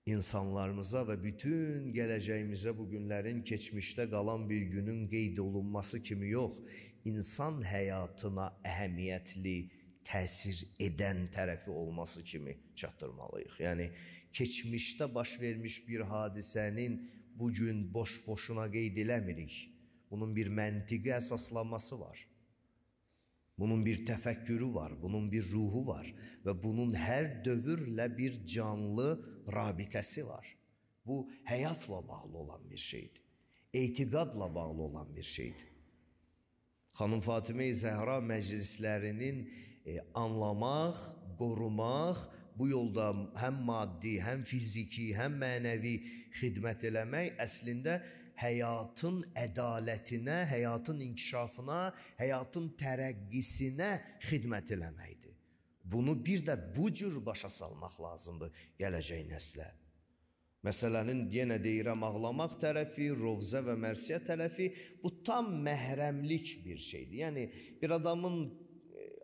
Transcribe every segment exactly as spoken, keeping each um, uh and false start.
insanlarımıza və bütün gələcəyimizə bu günlərin keçmişdə qalan bir günün qeyd olunması kimi yox, insan həyatına əhəmiyyətli təsir edən tərəfi olması kimi çatdırmalıyıq. Yəni, keçmişdə baş vermiş bir hadisənin bugün boş-boşuna qeyd eləmirik. Bunun bir məntiqi əsaslanması var. Bunun bir təfəkkürü var, bunun bir ruhu var və bunun hər dövrlə bir canlı rabitəsi var. Bu, həyatla bağlı olan bir şeydir. Etiqadla bağlı olan bir şeydir. Xanım Fatimə-i Zəhra məclislərinin e, anlamaq, qorumaq, bu yolda həm maddi, həm fiziki, həm mənəvi xidmət eləmək əslində həyatın ədalətinə, həyatın inkişafına, həyatın tərəqqisinə xidmət eləməkdir. Bunu bir də bu cür başa salmaq lazımdır gələcək nəslə. Məsələnin yenə deyirəm ağlamaq tərəfi, rovzə və mərsiyə tərəfi bu tam məhrəmlik bir şeydir. Yəni bir adamın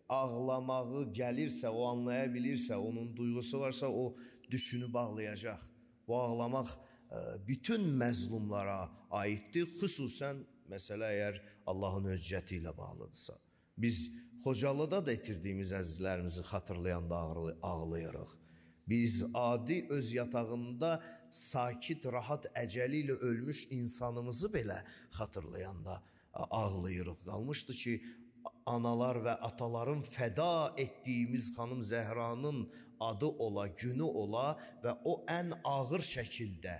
ağlamağı gəlirsə, o anlaya bilirsə, onun duyğusu varsa o düşünü bağlayacaq. Bu ağlamaq bütün məzlumlara aiddir, xüsusən məsələ əgər Allahın höccəti ilə bağlıdırsa. Biz Xocalıda da itirdiyimiz əzizlərimizi xatırlayanda ağlayırıq. Biz adi öz yatağında sakit, rahat əcəli ilə ölmüş insanımızı belə xatırlayanda ağlayırıq. Qalmışdı ki, analar və ataların fəda etdiyimiz xanım Zəhranın adı ola, günü ola və o ən ağır şəkildə,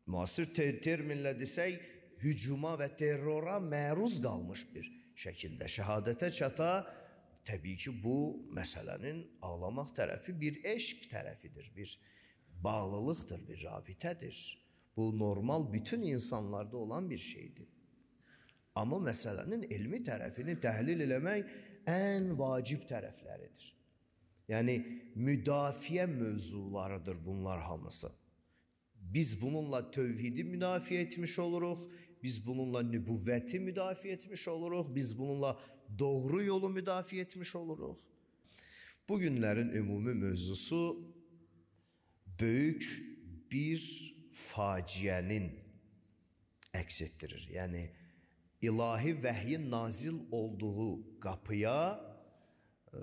müasir terminlə desək, hücuma və terrora məruz qalmış bir şəkildə şəhadətə çata. Təbii ki, bu məsələnin ağlamaq tərəfi bir eşq tərəfidir, bir bağlılıqdır, bir rabitədir. Bu, normal bütün insanlarda olan bir şeydir. Amma məsələnin elmi tərəfini təhlil eləmək ən vacib tərəfləridir. Yəni, müdafiə mövzularıdır bunlar hamısı. Biz bununla tövhidi müdafiə etmiş oluruq, biz bununla nübüvvəti müdafiə etmiş oluruq, biz bununla doğru yolu müdafiə etmiş oluruq. Bu günlərin ümumi mövzusu böyük bir faciənin əks etdirir. Yəni, ilahi vəhyin nazil olduğu qapıya e,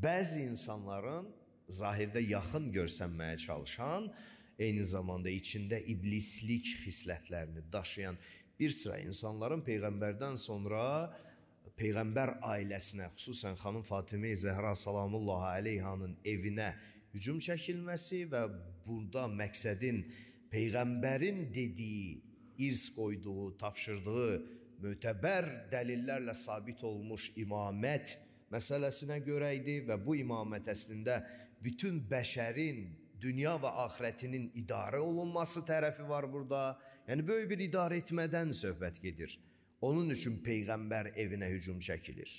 bəzi insanların zahirdə yaxın görsənməyə çalışan, eyni zamanda içində iblislik xislətlərini daşıyan bir sıra insanların Peyğəmbərdən sonra Peyğəmbər ailəsinə, xüsusən xanım Fatimə-i Zəhra salamullahi aleyhanın evinə hücum çəkilməsi və burada məqsədin Peyğəmbərin dediyi, irs qoyduğu, tapşırdığı mötəbər dəlillərlə sabit olmuş imamət məsələsinə görə idi və bu imamət əslində bütün bəşərin dünya və axirətinin idarə olunması tərəfi var burada. Yəni, böyük bir idarə etmədən söhbət gedir. Onun üçün Peyğəmbər evinə hücum çəkilir.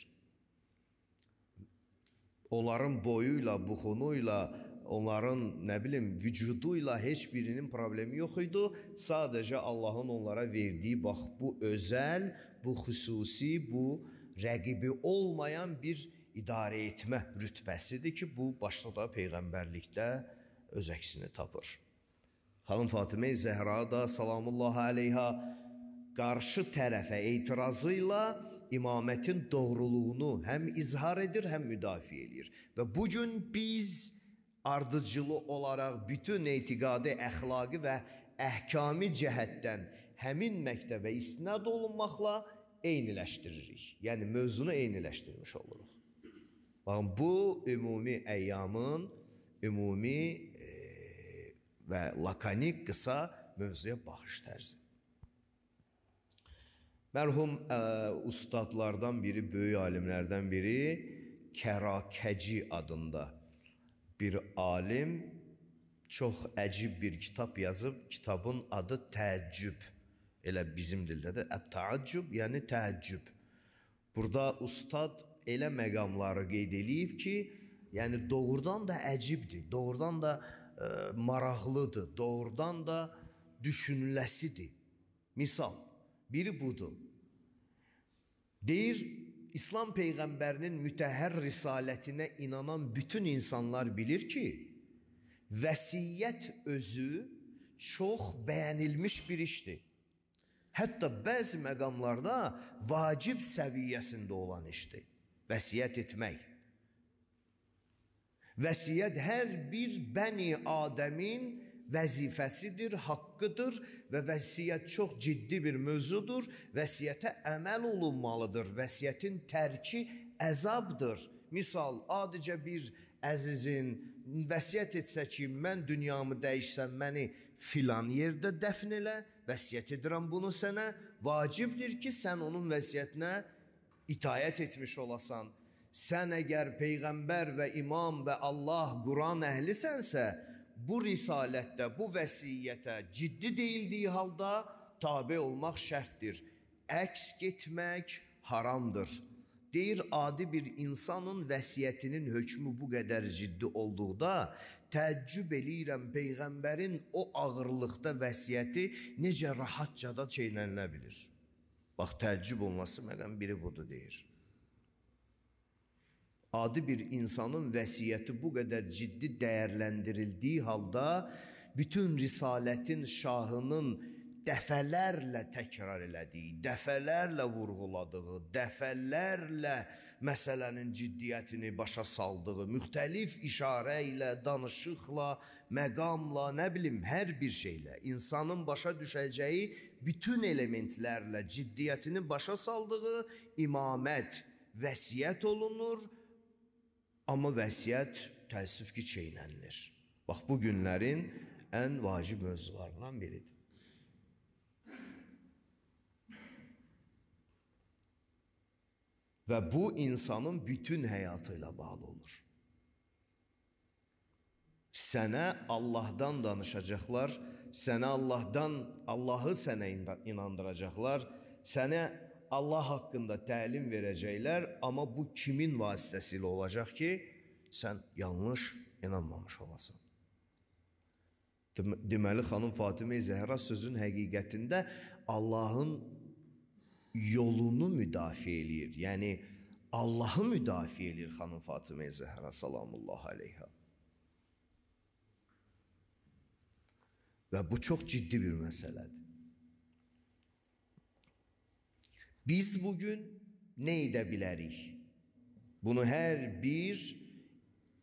Onların boyuyla, buxunuyla, onların, nə bilim, vücuduyla heç birinin problemi yox idi. Sadəcə Allahın onlara verdiyi, bax, bu özəl, bu xüsusi, bu rəqibi olmayan bir idarə etmə rütbəsidir ki, bu başda da Peyğəmbərlikdə öz əksini tapır. Xanım Fatimə-i Zəhra da salamullahi aleyha qarşı tərəfə etirazı ilə imamətin doğruluğunu həm izhar edir, həm müdafiə edir. Və bugün biz ardıcılı olaraq bütün etiqadi, əxlaqi və əhkami cəhətdən həmin məktəbə istinad olunmaqla eyniləşdiririk. Yəni, mövzunu eyniləşdirmiş oluruq. Baxın, bu ümumi əyyamın ümumi e, və lakanik qısa mövzuya baxış tərzi. Mərhum ə, ustadlardan biri, böyük alimlərdən biri Kərakəci adında bir alim çox əcib bir kitab yazıb. Kitabın adı Təəccüb. Elə bizim dildə də Ət-Təəccüb, yəni təəccüb. Burada ustad elə məqamları qeyd eləyib ki, yəni doğrudan da əcibdir, doğrudan da e, maraqlıdır, doğrudan da düşünüləsidir. Misal, biri budur. Deyir, İslam Peyğəmbərinin mütəhhər risalətinə inanan bütün insanlar bilir ki, Vəsiyyət özü çox bəyənilmiş bir işdir. Hətta bəzi məqamlarda vacib səviyyəsində olan işdir. Vəsiyyət etmək. Vəsiyyət hər bir bəni Adəmin vəzifəsidir, haqqıdır və vəsiyyət çox ciddi bir mövzudur. Vəsiyyətə əməl olunmalıdır. Vəsiyyətin tərki əzabdır. Misal, adicə bir əzizin vəsiyyət etsə ki, mən dünyamı dəyişsəm, məni filan yerdə dəfn elə, vəsiyyət edirəm bunu sənə, vacibdir ki, sən onun vəsiyyətinə itayət etmiş olasan. Sən əgər Peyğəmbər və imam və Allah, Quran əhlisənsə, bu risalətdə, bu vəsiyyətə ciddi deyildiyi halda tabe olmaq şərtdir. Əks getmək haramdır. Deyir, adi bir insanın vəsiyyətinin hökmü bu qədər ciddi olduqda, təəccüb eləyirəm Peyğəmbərin o ağırlıqda vəsiyyəti necə rahatcada çeynənilə bilir. Bax, təəccüb olması məqam biri budur, deyir. Adi bir insanın vəsiyyəti bu qədər ciddi dəyərləndirildiyi halda, bütün risalətin şahının dəfələrlə təkrar elədiyi, dəfələrlə vurğuladığı, dəfələrlə məsələnin ciddiyyətini başa saldığı, müxtəlif işarə ilə, danışıqla, məqamla, nə bilim, hər bir şeylə, insanın başa düşəcəyi bütün elementlərlə ciddiyyətini başa saldığı imamət, vəsiyyət olunur, amma vəsiyyət təəssüf ki, çeynənilir. Bax, bu günlərin ən vacib mövzularından biridir. Və bu insanın bütün həyatı ilə bağlı olur. Sənə Allahdan danışacaqlar, sənə Allahdan, Allahı sənə inandıracaqlar, sənə Allah haqqında təlim verəcəklər, amma bu kimin vasitəsilə olacaq ki, sən yanlış inanmamış olasan. Deməli, xanım Fatimə-i Zəhra sözün həqiqətində Allahın yolunu müdafiə eləyir. Yəni, Allahı müdafiə eləyir xanım Fatimə-i Zəhra salamullah aleyha. Və bu çox ciddi bir məsələdir. Biz bugün nə edə bilərik? Bunu hər bir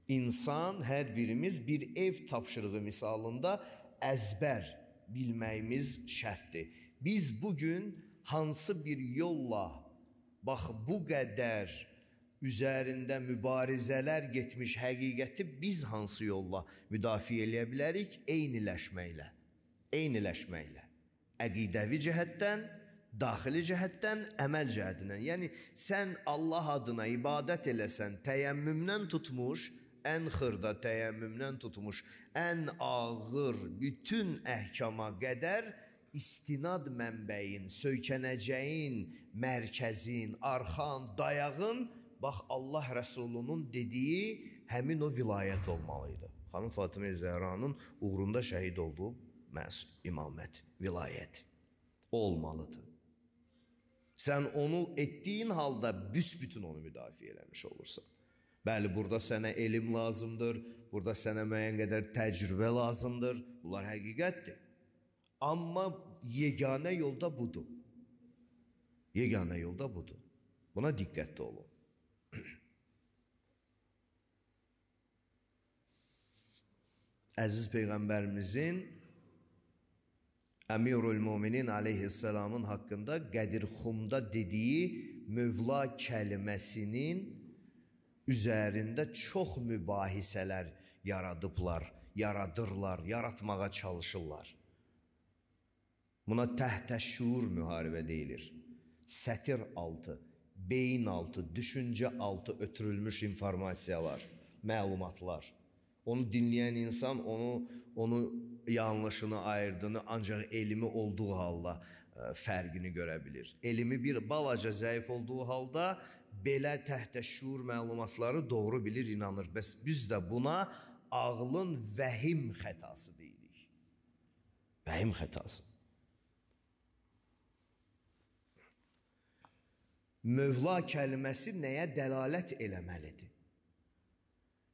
insan, hər birimiz bir ev tapşırığı misalında əzbər bilməyimiz şərtdir. Biz bugün hansı bir yolla, bax bu qədər üzərində mübarizələr getmiş həqiqəti biz hansı yolla müdafiə eləyə bilərik? Eyniləşməklə, eyniləşməklə. Əqidəvi cəhətdən, daxili cəhətdən, əməl cəhətindən. Yəni, sən Allah adına ibadət eləsən, təyəmmümdən tutmuş, ən xırda təyəmmümdən tutmuş, ən ağır bütün əhkama qədər istinad mənbəyin, söykənəcəyin, mərkəzin, arxan, dayağın, bax Allah Rəsulunun dediyi həmin o vilayət olmalıydı. Xanım Fatimə Zəhranın uğrunda şəhid olduğu imamət, vilayət olmalıdır. Sən onu etdiyin halda büsbütün onu müdafiə eləmiş olursan. Bəli, burada sənə elm lazımdır, burada sənə müəyyən qədər təcrübə lazımdır, bunlar həqiqətdir. Amma yeganə yolda budur. Yeganə yolda budur. Buna diqqətli olun. Əziz Peyğəmbərimizin Əmirül Müminin aleyhisselamın haqqında Qədirxumda dediyi Mövla kəliməsinin üzərində çox mübahisələr yaradıblar, yaradırlar, yaratmağa çalışırlar. Buna təhtəşşuur müharibə deyilir. Sətir altı, beyin altı, düşüncə altı ötürülmüş informasiyalar, məlumatlar. Onu dinləyən insan onu, onu yanlışını, ayırdığını ancaq elmi olduğu halda ə, fərqini görə bilir. Elmi bir balaca zəif olduğu halda belə təhtəşşuur məlumatları doğru bilir, inanır. Bəs biz də buna ağlın vəhim xətası deyirik. Vəhim xətası. Mövla kəlməsi nəyə dəlalət eləməlidir?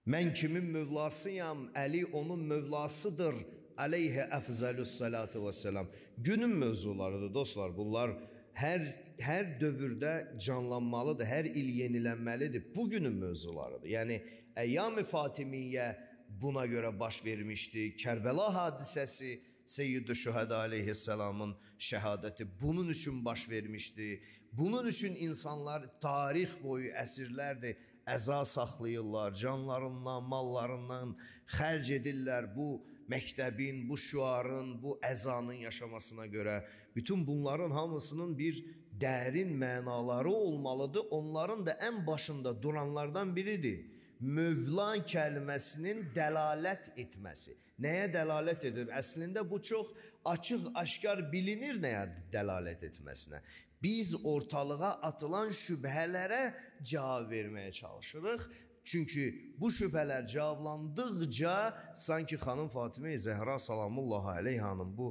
Mən kimin mövlasıyam, Əli onun mövlasıdır. Aleyhə əfzəlus salatu vəssalam. Günün mövzularıdır dostlar. Bunlar hər hər dövrdə canlanmalıdır, hər il yenilənməlidir. Bugünün mövzularıdır. Yəni Əyyam-ı Fatimiyyə buna görə baş vermişdi. Kərbəla hadisəsi, Seyyid-i Şühəda aleyhisselamın şəhadəti bunun üçün baş vermişdi. Bunun üçün insanlar tarix boyu əsrlərdir əza saxlayırlar, canlarından, mallarından xərc edirlər bu məktəbin, bu şüarın, bu əzanın yaşamasına görə. Bütün bunların hamısının bir dərin mənaları olmalıdır. Onların da ən başında duranlardan biridir. Mövla kəlməsinin dəlalət etməsi. Nəyə dəlalət edir? Əslində bu çox açıq, aşkar bilinir nəyə dəlalət etməsinə. Biz ortalığa atılan şübhələrə cavab verməyə çalışırıq. Çünki bu şübhələr cavablandıqca sanki xanım Fatimə-i Zəhra salamullahi aleyhanın bu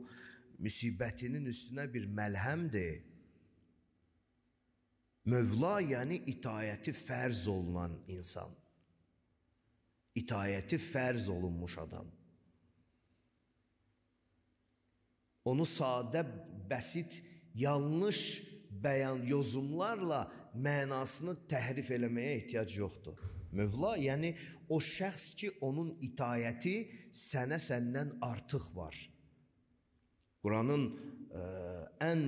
müsibətinin üstünə bir məlhəmdir. Mövla yəni itayəti fərz olunan insan. İtayəti fərz olunmuş adam. Onu sadə, bəsit, yanlış bəyan yozumlarla mənasını təhrif eləməyə ehtiyac yoxdur. Mövla, yəni o şəxs ki, onun itayəti sənə səndən artıq var. Quranın ə, ən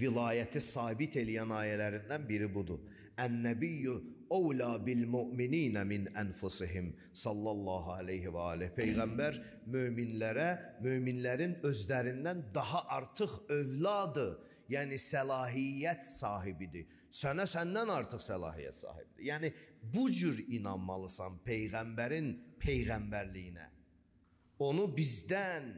vilayəti sabit eləyən ayələrindən biri budur. Ən-nəbiyyü əvlə bil-mü'mininə min ənfusihim sallallahu aleyhi və aleyh. Peyğəmbər möminlərə, möminlərin özlərindən daha artıq övladı, yəni səlahiyyət sahibidir. Sənə səndən artıq səlahiyyət sahibidir. Yəni bu cür inanmalısan Peyğəmbərin peyğəmbərliyinə. Onu bizdən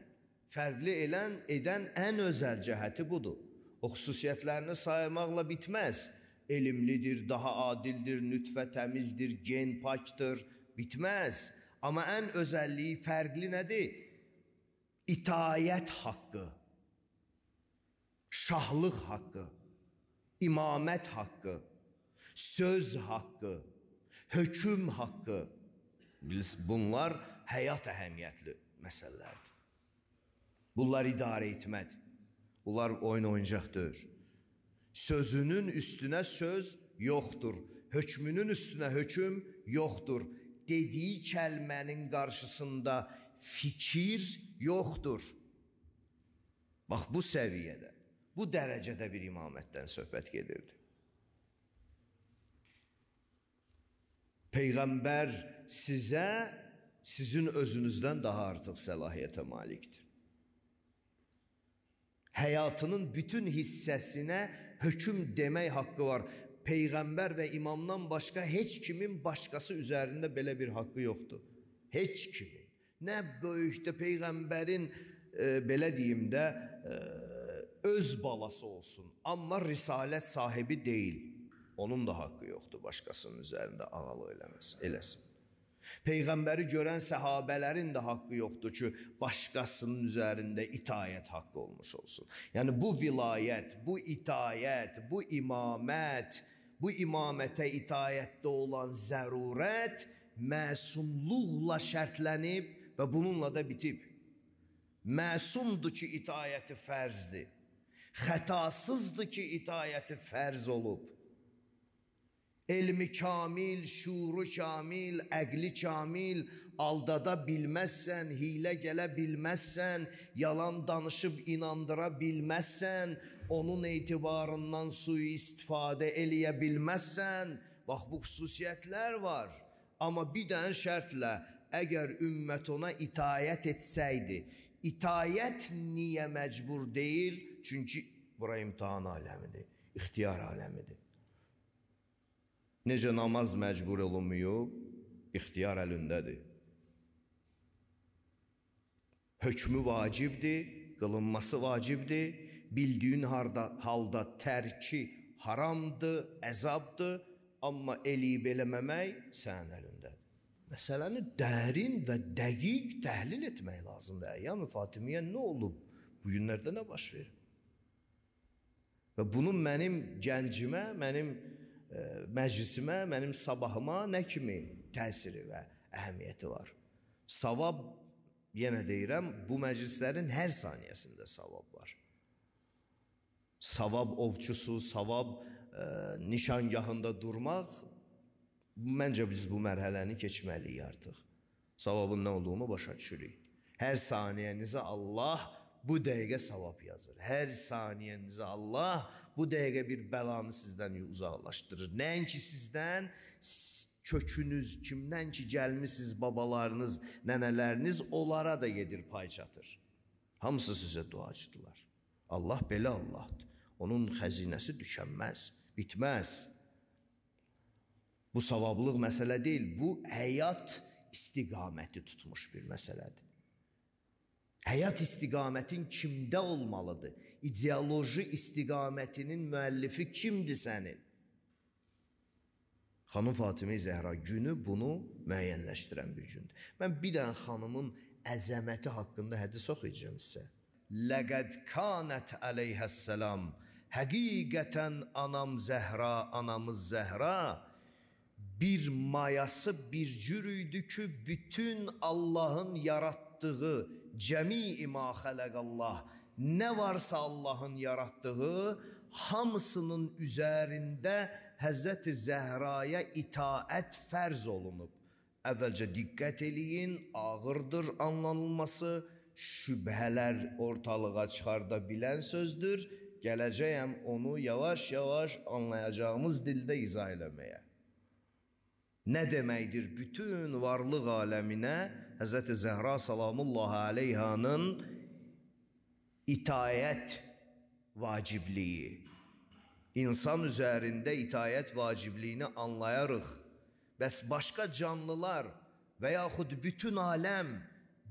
fərqli elən, edən ən özəl cəhəti budur. O xüsusiyyətlərini saymaqla bitməz. Elmlidir, daha adildir, nütfə təmizdir, gen pakdır, bitməz. Amma ən özəlliyi, fərqli nədir? İtayət haqqı, şahlıq haqqı, imamət haqqı, söz haqqı, hökm haqqı. Bunlar həyat əhəmiyyətli məsələlərdir. Bunlar idarə etmədir. Bunlar oyun oyuncaq deyil. Sözünün üstünə söz yoxdur. Hökmünün üstünə hökm yoxdur. Dediyi kəlmənin qarşısında fikir yoxdur. Bax bu səviyyədə, bu dərəcədə bir imamətdən söhbət gedirdi. Peyğəmbər sizə, sizin özünüzdən daha artıq səlahiyyətə malikdir. Həyatının bütün hissəsinə hökm demək haqqı var. Peyğəmbər və imamdan başqa heç kimin başqası üzərində belə bir haqqı yoxdur. Heç kimin. Nə böyükdə Peyğəmbərin e, belə deyim də e, öz balası olsun. Amma risalət sahibi deyil. Onun da haqqı yoxdur başqasının üzərində ağalıq eləməsin, eləsin. Peyğəmbəri görən səhabələrin də haqqı yoxdur ki, başqasının üzərində itayət haqqı olmuş olsun. Yəni bu vilayət, bu itayət, bu imamət, bu imamətə itayətdə olan zərurət məsumluqla şərtlənib və bununla da bitib. Məsumdur ki, itayəti fərzdir. Xətasızdır ki, itayəti fərz olub. Elmi kamil, şuuru kamil, əqli kamil, aldada bilməzsən, hilə gələ bilməzsən, yalan danışıb inandıra bilməzsən, onun etibarından sui-istifadə eləyə bilməzsən. Bax, bu xüsusiyyətlər var. Amma bir dənə şərtlə, əgər ümmət ona itayət etsəydi, itayət niyə məcbur deyil? Çünki bura imtihan aləmidir, ixtiyar aləmidir. Necə namaz məcbur olunmuyub, ixtiyar əlindədir. Hökmü vacibdir, qılınması vacibdir, bildiyin halda tərki haramdır, əzabdır, amma eləyib eləməmək sənin əlindədir. Məsələni dərin və dəqiq təhlil etmək lazımdır. Əyyam-ı Fatimiyyə nə olub? Bu günlərdə nə baş verir? Və bunun mənim gəncimə, mənim məclisimə, mənim sabahıma nə kimi təsiri və əhəmiyyəti var. Savab, yenə deyirəm, bu məclislərin hər saniyəsində savab var. Savab ovçusu, savab e, nişangahında durmaq, məncə biz bu mərhələni keçməliyik artıq. Savabın nə olduğunu başa düşürük. Hər saniyənizə Allah bu dəqiqə savab yazır. Hər saniyənizə Allah bu dəqiqə bir bəlanı sizdən uzaqlaşdırır. Nəinki sizdən, kökünüz, kimdən ki gəlmisiniz, babalarınız, nənələriniz, onlara da gedir, pay çatır. Hamısı sizə duacıdırlar. Allah belə Allahdır. Onun xəzinəsi düşənməz, bitməz. Bu savablıq məsələ deyil, bu həyat istiqaməti tutmuş bir məsələdir. Həyat istiqamətin kimdə olmalıdır? İdeoloji istiqamətinin müəllifi kimdir sənin? Xanım Fatimə Zəhra günü bunu müəyyənləşdirən bir gündür. Mən bir dənə xanımın əzəməti haqqında hədis oxuyacağım sizə. Ləqəd kanət əleyhəssəlam, həqiqətən anam Zəhra, anamız Zəhra, bir mayası bir cür idi ki, bütün Allahın yaratdığı, cəmi-i ma xələqəllah, nə varsa Allahın yaratdığı, hamısının üzərində Həzrəti Zəhraya itaət fərz olunub. Əvvəlcə diqqət eləyin, ağırdır anlanılması, şübhələr ortalığa çıxarda bilən sözdür. Gələcəyəm onu yavaş-yavaş anlayacağımız dildə izah eləməyə. Nə deməkdir? Bütün varlıq aləminə Həzrəti Zəhra salamullahi aleyhanın itayət vacibliyi, İnsan üzərində itayət vacibliyini anlayarıq. Bəs başqa canlılar və yaxud bütün aləm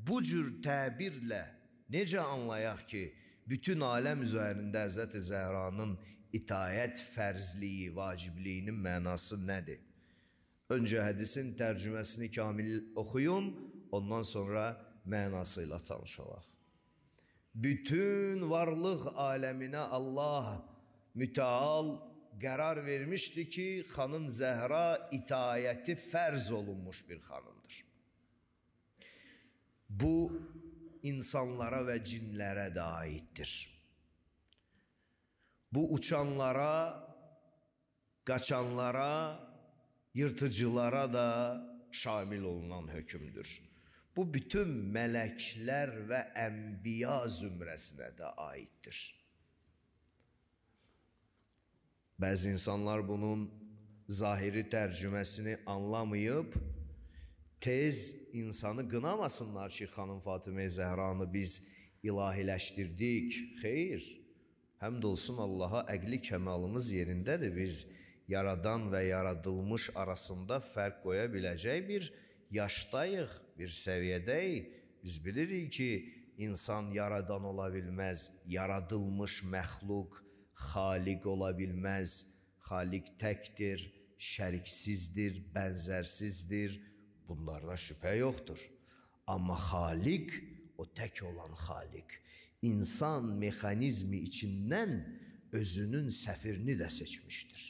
bu cür təbirlə necə anlayaq ki, bütün aləm üzərində Həzrəti Zəhranın itayət fərzliyi, vacibliyinin mənası nədir? Öncə hədisin tərcüməsini kamil oxuyum, ondan sonra mənası ilə tanış olaq. Bütün varlıq aləminə Allah mütəal qərar vermişdi ki, xanım Zəhra itayəti fərz olunmuş bir xanımdır. Bu, insanlara və cinlərə də aiddir. Bu, uçanlara, qaçanlara, yırtıcılara da şamil olunan hökümdür. Bu, bütün mələklər və ənbiya zümrəsinə də aiddir. Bəzi insanlar bunun zahiri tərcüməsini anlamayıb, tez insanı qınamasınlar ki, xanım Fatimə Zəhranı biz ilahiləşdirdik. Xeyr, həmd olsun Allaha, əqli kəmalımız yerindədir. Biz yaradan və yaradılmış arasında fərq qoya biləcək bir yaşdayıq, bir səviyyədəyik. Biz bilirik ki, insan yaradan ola bilməz, yaradılmış məxluq, xaliq ola bilməz. Xaliq təkdir, şəriksizdir, bənzərsizdir. Bunlarda şübhə yoxdur. Amma xaliq, o tək olan xaliq, insan mexanizmi içindən özünün səfirini də seçmişdir.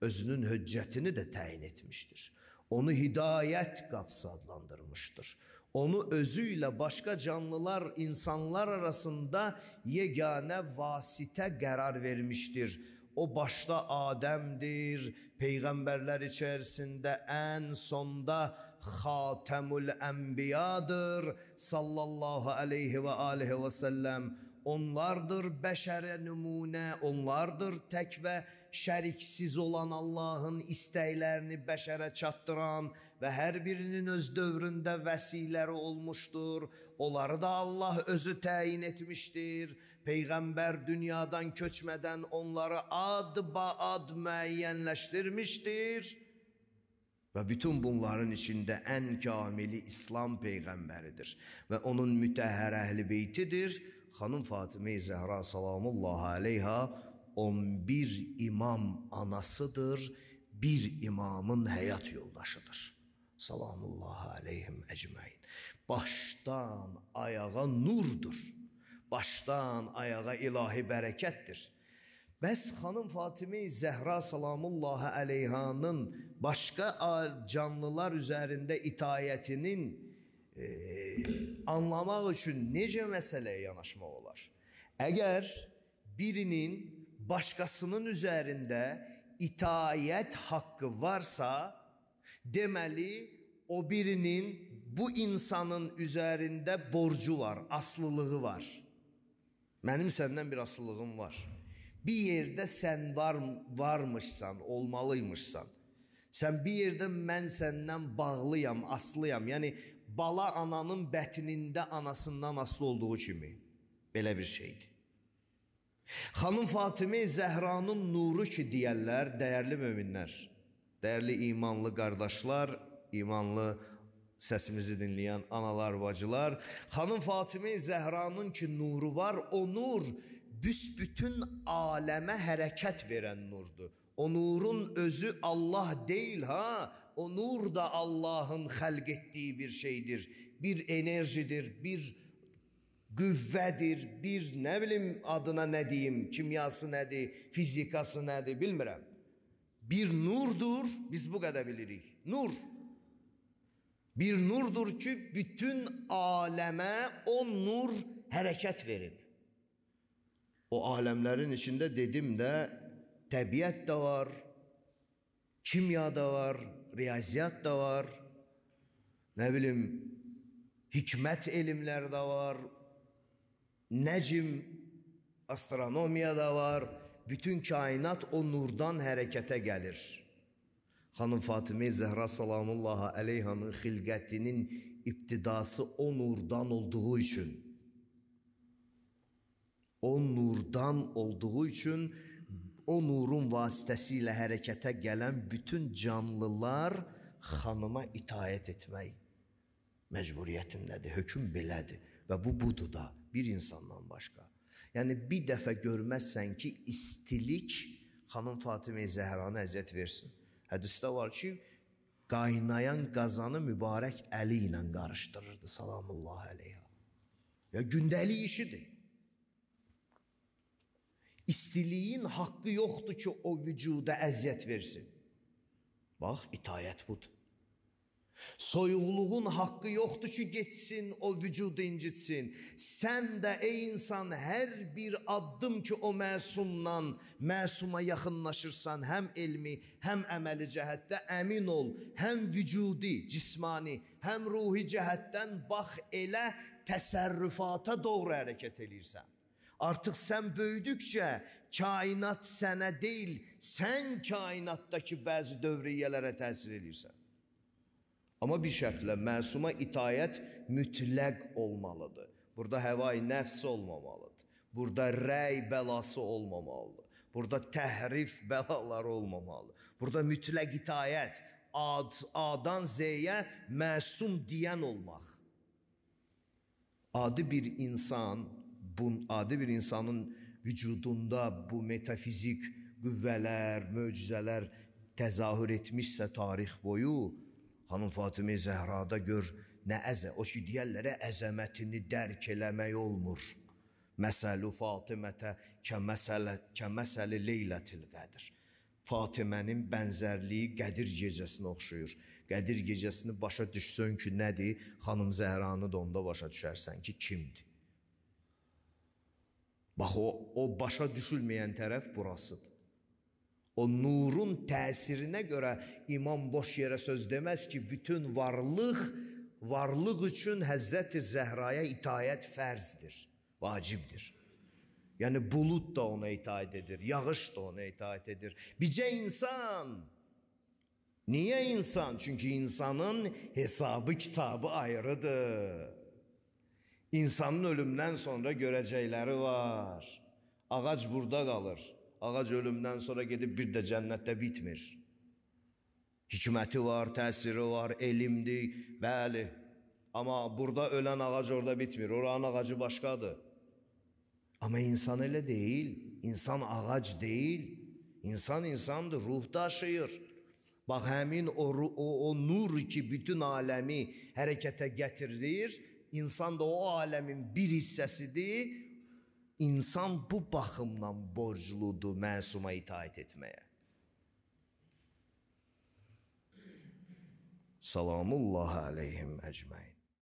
Özünün höccətini də təyin etmişdir. Onu hidayət qapısı adlandırmışdır. Onu özü ilə başqa canlılar, insanlar arasında yeganə vasitə qərar vermişdir. O başda Adəmdir, peyğəmbərlər içərisində ən sonda Xatəmül Ənbiyadır, sallallahu aleyhi və aleyhi və səlləm. Onlardır bəşərə nümunə, onlardır tək və şəriksiz olan Allahın istəklərini bəşərə çatdıran və hər birinin öz dövründə vəsiləri olmuşdur. Onları da Allah özü təyin etmişdir. Peyğəmbər dünyadan köçmədən onları ad-ba-ad müəyyənləşdirmişdir. Və bütün bunların içində ən kamili İslam Peyğəmbəridir və onun mütəhhər əhl-i beytidir. Xanım Fatimə Zəhra salamullahi aleyha on bir imam anasıdır, bir imamın həyat yoldaşıdır. Salamullahi aleyhim əcməin. Başdan ayağa nurdur, başdan ayağa ilahi bərəkətdir. Bəs xanım Fatimə Zəhra salamullahi əleyhanın başqa canlılar üzərində itayətinin e, anlamaq üçün necə məsələyə yanaşmaq olar? Əgər birinin başqasının üzərində itayət haqqı varsa, deməli o birinin bu insanın üzərində borcu var, aslılığı var. Mənim səndən bir aslılığım var. Bir yerdə sən var, varmışsan, olmalıymışsan. Sən bir yerdə mən səndən bağlıyam, aslıyam. Yəni bala ananın bətnində anasından aslı olduğu kimi. Belə bir şeydir. Xanım Fatimə Zəhranın nuru ki deyərlər, dəyərli möminlər, dəyərli imanlı qardaşlar, imanlı səsimizi dinləyən analar, bacılar, xanım Fatimə Zəhranın ki nuru var, o nur büsbütün aləmə hərəkət verən nurdur. O nurun özü Allah deyil ha, o nur da Allahın xəlq etdiyi bir şeydir, bir enerjidir, bir qüvvədir, bir nə bilim adına nə deyim, kimyası nədir, fizikası nədir, bilmirəm. Bir nurdur, biz bu qədər bilirik, nur. Bir nurdur ki, bütün aləmə o nur hərəkət verib. O aləmlərin içində dedim də, təbiət də var, kimya da var, riyaziyyat da var, nə bilim, hikmət elmlər də var, nəcm, astronomiya da var, bütün kainat o nurdan hərəkətə gəlir. Xanım Fatimə Zəhra salamullahi əleyhanın xilqətinin ibtidası o nurdan olduğu üçün, o nurdan olduğu üçün, o nurun vasitəsilə hərəkətə gələn bütün canlılar xanıma itayət etmək məcburiyyətindədir, hökm belədir və bu budur da bir insandan başqa. Yəni bir dəfə görməzsən ki, istilik xanım Fatimə Zəhranı əziyyət versin. Hədisdə var ki, qaynayan qazanı mübarək əli ilə qarışdırırdı salamullahi əleyha. Ya gündəlik işidir. İstiliyin haqqı yoxdur ki, o vücuda əziyyət versin. Bax, itayət budur. Soyuqluğun haqqı yoxdur ki, geçsin, o vücudu incitsin. Sən də ey insan, hər bir addım ki, o məsumdan, məsuma yaxınlaşırsan, həm elmi, həm əməli cəhətdə əmin ol, həm vücudi, cismani, həm ruhi cəhətdən bax elə təsərrüfata doğru hərəkət edirsən. Artıq sən böyüdükcə kainat sənə deyil, sən kainatdakı bəzi dövriyyələrə təsir edirsən. Amma bir şərtlə məsuma itayət mütləq olmalıdır. Burada həvai nəfs olmamalıdır. Burada rəy bəlası olmamalıdır. Burada təhrif bəlaları olmamalıdır. Burada mütləq itayət, ad, A'dan Z'yə məsum deyən olmaq. Adi bir insan, bu adi bir insanın vücudunda bu metafizik qüvvələr, möcüzələr təzahür etmişsə tarix boyu, xanım Fatimə Zəhrada gör nə əzə, o ki deyərlərə əzəmətini dərk eləmək olmur. Məsəlu Fatimətə kəməsəli leylətil qədir. Fatimənin bənzərliyi Qədir gecəsinə oxşuyur. Qədir gecəsini başa düşsən ki nədir, xanım Zəhranı da onda başa düşərsən ki kimdir. Bax, o, o başa düşülməyən tərəf burasıdır. O nurun təsirinə görə imam boş yerə söz deməz ki, bütün varlıq, varlıq üçün Həzrəti Zəhraya itayət fərzdir, vacibdir. Yəni bulud da ona itaət edir, yağış da ona itaət edir. Bircə insan. Niyə insan? Çünki insanın hesabı, kitabı ayrıdır. İnsanın ölümdən sonra görəcəkləri var. Ağac burada qalır. Ağac ölümdən sonra gedib bir də cənnətdə bitmir. Hikməti var, təsiri var, elmdir, bəli. Amma burada ölən ağac orada bitmir. Oranın ağacı başqadır. Amma insan elə deyil. İnsan ağac deyil. İnsan insandır, ruh daşıyır. Bax, həmin o, o, o nur ki, bütün aləmi hərəkətə gətirir, İnsan da o aləmin bir hissəsidir. İnsan bu baxımdan borcludur məsuma itaət etməyə. Salamullah aleyhim əcməin.